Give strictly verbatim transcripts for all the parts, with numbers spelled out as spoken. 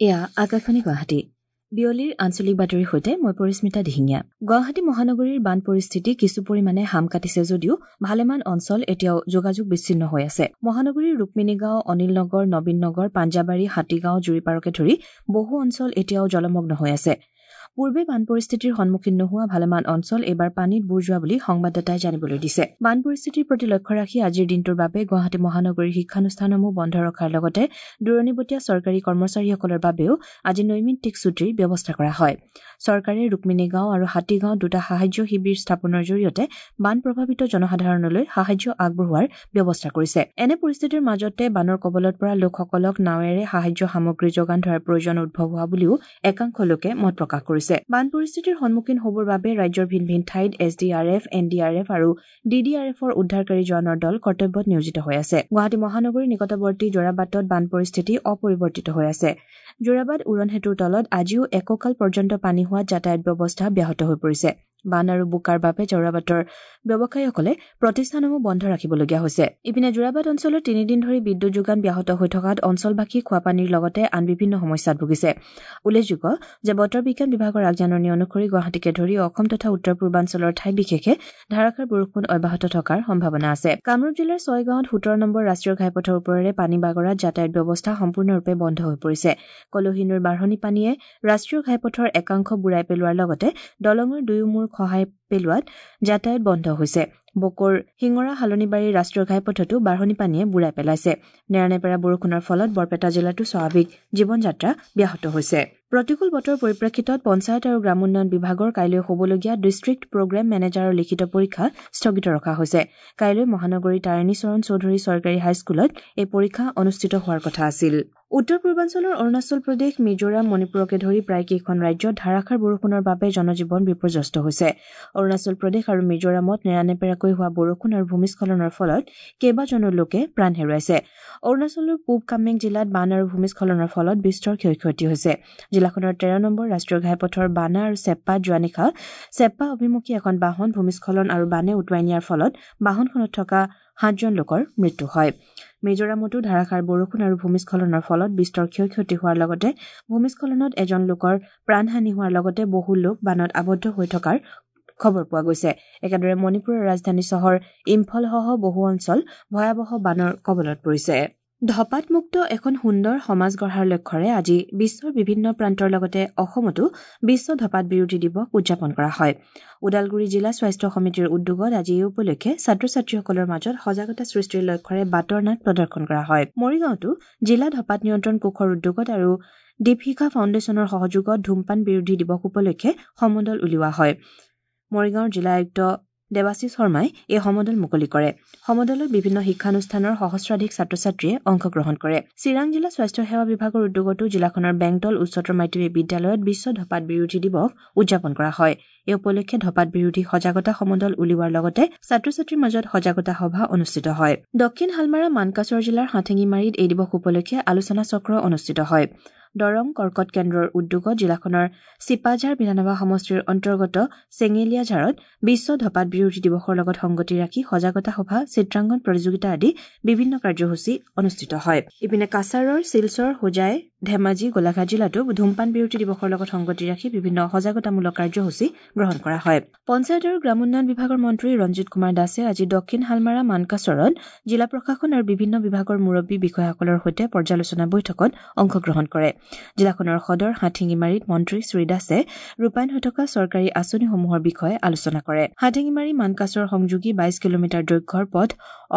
এয়া আকাশবাণী গুৱাহাটী। বিয়লিৰ আঞ্চলিক বাতৰিৰ সৈতে মই পৰিস্মিতা দিহিঙীয়া। গুৱাহাটী মহানগৰীৰ বান পৰিস্থিতি কিছু পৰিমাণে হাম কাটিছে যদিও ভালেমান অঞ্চল এতিয়াও যোগাযোগ বিচ্ছিন্ন হৈ আছে। মহানগৰীৰ ৰুক্মিণীগাঁও, অনিল নগৰ, নবীন নগৰ, পাঞ্জাবাৰী, হাতীগাঁও, জুৰিপাৰকে ধৰি বহু অঞ্চল এতিয়াও জলমগ্ন হৈ আছে। পূৰ্বে বান পৰিস্থিতিৰ সন্মুখীন নোহোৱা ভালেমান অঞ্চল এইবাৰ পানীত বুৰ যোৱা বুলি সংবাদদাতাই জানিবলৈ দিছে। বান পৰিস্থিতিৰ প্ৰতি লক্ষ্য ৰাখি আজিৰ দিনটোৰ বাবে গুৱাহাটী মহানগৰীৰ শিক্ষানুষ্ঠানসমূহ বন্ধ ৰখাৰ লগতে দূৰণিবটীয়া চৰকাৰী কৰ্মচাৰীসকলৰ বাবেও আজি নৈমিত্তিক ছুটীৰ ব্যৱস্থা কৰা হয়। চৰকাৰে ৰুক্মিণীগাঁও আৰু হাতীগাঁও দুটা সাহায্য শিবিৰ স্থাপনৰ জৰিয়তে বান প্ৰভাৱিত জনসাধাৰণলৈ সাহায্য আগবঢ়োৱাৰ ব্যৱস্থা কৰিছে। এনে পৰিস্থিতিৰ মাজতে বানৰ কবলত পৰা লোকসকলক নাৱেৰে সাহায্য সামগ্ৰী যোগান ধৰাৰ প্ৰয়োজন উদ্ভৱ হোৱা বুলিও একাংশ লোকে মত প্ৰকাশ কৰিছে। বান পৰিস্থিতিৰ সন্মুখীন হ'বৰ বাবে ৰাজ্যৰ ভিন ভিন ঠাইত S D R F, N D R F আৰু ডি ডি আৰ এফৰ উদ্ধাৰকাৰী জোৱানৰ দল কৰ্তব্যত নিয়োজিত হৈ আছে। গুৱাহাটী মহানগৰীৰ নিকটৱৰ্তী যোৰাবাটত বান পৰিস্থিতি অপৰিৱৰ্তিত হৈ আছে। যোৰাবাট উৰণ সেতুৰ তলত আজিও একঁকাল পৰ্যন্ত পানী হোৱাত যাতায়াত ব্যৱস্থা ব্যাহত হৈ পৰিছে। বান আৰু বোকাৰ বাবে যোৰাবাটৰ ব্যৱসায়ীসকলে প্ৰতিষ্ঠানসমূহ বন্ধ ৰাখিবলগীয়া হৈছে। ইপিনে যোৰাবাট অঞ্চলত তিনিদিন ধৰি বিদ্যুৎ যোগান ব্যাহত হৈ থকাত অঞ্চলবাসী খোৱাপানীৰ লগতে আন বিভিন্ন সমস্যাত ভুগিছে। উল্লেখযোগ্য যে বতৰ বিজ্ঞান বিভাগৰ আগজাননী অনুসৰি গুৱাহাটীকে ধৰি অসম তথা উত্তৰ পূৰ্বাঞ্চলৰ ঠাই বিশেষে ধাৰাসাৰ বৰষুণ অব্যাহত থকাৰ সম্ভাৱনা আছে। কামৰূপ জিলাৰ ছয়গাঁৱত সোতৰ নম্বৰ ৰাষ্ট্ৰীয় ঘাইপথৰ ওপৰেৰে পানী বাগৰাত যাতায়াত ব্যৱস্থা সম্পূৰ্ণৰূপে বন্ধ হৈ পৰিছে। কলহী নৈৰ বাঢ়নী পানীয়ে ৰাষ্ট্ৰীয় ঘাইপথৰ একাংশ বুৰাই পেলোৱাৰ লগতে দলঙৰ দুয়ো মূৰ খহাই পেলোৱাত যাতায়াত বন্ধ হৈছে। বকোৰ শিঙৰা হালনিবাৰী ৰাষ্ট্ৰীয় ঘাইপথতো বাঢ়নী পানীয়ে বুৰাই পেলাইছে। নেৰানেপেৰা বৰষুণৰ ফলত বৰপেটা জিলাতো স্বাভাৱিক জীৱনযাত্ৰা ব্যাহত হৈছে। প্ৰতিকূল বতৰৰ পৰিপ্ৰেক্ষিতত পঞ্চায়ত আৰু গ্ৰামোন্নয়ন বিভাগৰ কাইলৈ হ'বলগীয়া ডিষ্ট্ৰিক্ট প্ৰগ্ৰেম মেনেজাৰৰ লিখিত পৰীক্ষা স্থগিত ৰখা হৈছে। কাইলৈ মহানগৰীৰ তাৰিণীচৰণ চৌধুৰী চৰকাৰী হাইস্কুলত এই পৰীক্ষা অনুষ্ঠিত হোৱাৰ কথা আছিল। উত্তৰ পূৰ্বাঞ্চলৰ অৰুণাচল প্ৰদেশ, মিজোৰাম, মণিপুৰকে ধৰি প্ৰায় কেইখন ৰাজ্যত ধাৰাসাৰ বৰষুণৰ বাবে জনজীৱন বিপৰ্যস্ত হৈছে। অৰুণাচল প্ৰদেশ আৰু মিজোৰামত নেৰানেপেৰাকৈ হোৱা বৰষুণ আৰু ভূমিস্খলনৰ ফলত কেইবাজনো লোকে প্ৰাণ হেৰুৱাইছে। অৰুণাচলৰ পূব কামেং জিলাত বান আৰু ভূমিস্খলনৰ ফলত বিস্তৰ ক্ষয় ক্ষতি হৈছে। জিলাখনৰ তেৰ নম্বৰ ৰাষ্ট্ৰীয় ঘাইপথৰ বানা আৰু চেপ্পাত যোৱা নিশা চেপ্পা অভিমুখী এখন বাহন ভূমিস্খলন আৰু বানে উটুৱাই নিয়াৰ ফলত বাহনখনত থকা সাতজন লোকৰ মৃত্যু হয়। মিজোৰামতো ধাৰাসাৰ বৰষুণ আৰু ভূমিস্খলনৰ ফলত বিস্তৰ ক্ষয় ক্ষতি হোৱাৰ লগতে ভূমিস্খলনত এজন লোকৰ প্ৰাণহানি হোৱাৰ লগতে বহু লোক বানত আবদ্ধ হৈ থকাৰ খবৰ পোৱা গৈছে। একেদৰে মণিপুৰৰ ৰাজধানী চহৰ ইম্ফলসহ বহু অঞ্চল ভয়াৱহ বানৰ কবলত পৰিছে। ধপাতমুক্ত এখন সুন্দৰ সমাজ গঢ়াৰ লক্ষ্যৰে আজি বিশ্বৰ বিভিন্ন প্ৰান্তৰ লগতে অসমতো বিশ্ব ধপাত বিৰোধী দিৱস উদযাপন কৰা হয়। ওদালগুৰি জিলা স্বাস্থ্য সমিতিৰ উদ্যোগত আজি এই উপলক্ষে ছাত্ৰ ছাত্ৰীসকলৰ মাজত সজাগতা সৃষ্টিৰ লক্ষ্যৰে বাটৰ নাট প্ৰদৰ্শন কৰা হয়। মৰিগাঁৱতো জিলা ধপাত নিয়ন্ত্ৰণ কোষৰ উদ্যোগত আৰু দীপশিখা ফাউণ্ডেশ্যনৰ সহযোগত ধূমপান বিৰোধী দিৱস উপলক্ষে সমদল উলিওৱা হয়। মৰিগাঁৱৰ জিলা আয়ুক্ত দেৱাশীষ শৰ্মাই এই সমদল মুকলি কৰে। সমদলত বিভিন্ন শিক্ষানুষ্ঠানৰ সহস্ৰাধিক ছাত্ৰ ছাত্ৰীয়ে অংশগ্ৰহণ কৰে। চিৰাং জিলা স্বাস্থ্য সেৱা বিভাগৰ উদ্যোগতো জিলাখনৰ বেংতল উচ্চতৰ মাধ্যমিক বিদ্যালয়ত বিশ্ব ধপাত বিৰোধী দিৱস উদযাপন কৰা হয়। এই উপলক্ষে ধপাত বিৰোধী সজাগতা সমদল উলিওৱাৰ লগতে ছাত্ৰ ছাত্ৰীৰ মাজত সজাগতা সভা অনুষ্ঠিত হয়। দক্ষিণ হালমাৰা মানকাচৰ জিলাৰ হাঠেঙিমাৰীত এই দিৱস উপলক্ষে আলোচনা চক্ৰ অনুষ্ঠিত হয়। দৰং কৰ্কট কেন্দ্ৰৰ উদ্যোগত জিলাখনৰ চিপাঝাৰ বিধানসভা সমষ্টিৰ অন্তৰ্গত চেঙেলীয়াঝাৰত বিশ্ব ধপাত বিৰোধী দিৱসৰ লগত সংগতি ৰাখি সজাগতা সভা, চিত্ৰাংকন প্ৰতিযোগিতা আদি বিভিন্ন কাৰ্যসূচী অনুষ্ঠিত হয়। ইপিনে কাছাৰৰ শিলচৰ, হোজাই, ধেমাজি, গোলাঘাট জিলাতো ধূমপান বিৰোধী দিৱসৰ লগত সংগতি ৰাখি বিভিন্ন সজাগতামূলক কাৰ্যসূচী গ্ৰহণ কৰা হয়। পঞ্চায়ত আৰু গ্ৰামোন্নয়ন বিভাগৰ মন্ত্ৰী ৰঞ্জিত কুমাৰ দাসে আজি দক্ষিণ হালমাৰা মানকাচৰত জিলা প্ৰশাসন আৰু বিভিন্ন বিভাগৰ মুৰব্বী বিষয়াসকলৰ সৈতে পৰ্যালোচনা বৈঠকত অংশগ্ৰহণ কৰে। জিলাখনৰ সদৰ হাটশিঙিমাৰীত মন্ত্ৰী শ্ৰী দাসে ৰূপায়ণ হৈ থকা চৰকাৰী আঁচনিসমূহৰ বিষয়ে আলোচনা কৰে। হাটশিঙিমাৰী মানকাচৰ সংযোগী বাইশ কিলোমিটাৰ দৈৰ্ঘ্যৰ পথ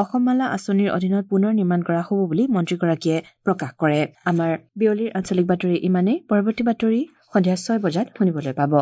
অসমমালা আঁচনিৰ অধীনত পুনৰ নিৰ্মাণ কৰা হ'ব বুলি মন্ত্ৰীগৰাকীয়ে প্ৰকাশ কৰে। আমাৰ বিয়লিৰ আঞ্চলিক বাতৰি ইমানেই। পৰৱৰ্তী বাতৰি সন্ধিয়া ছয় বজাত শুনিবলৈ পাব।